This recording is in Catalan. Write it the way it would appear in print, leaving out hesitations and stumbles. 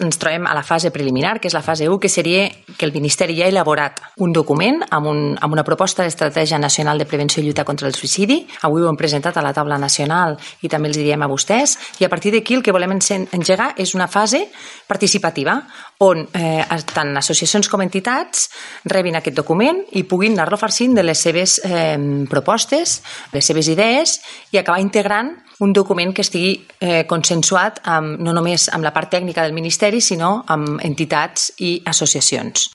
ens trobem a la fase preliminar, que és la fase 1, que seria que el Ministeri ja ha elaborat un document amb una proposta d'estratègia nacional de prevenció i lluita contra el suïcidi. Avui ho hem presentat a la taula nacional i també els diem a vostès, i a partir d'aquí el que volem engegar és una fase participativa on tant associacions com entitats rebin aquest document i puguin anar-lo farcint de les seves propostes, les seves idees, i acabar integrant un document que estigui consensuat no només amb la part tècnica del Ministeri, sinó amb entitats i associacions.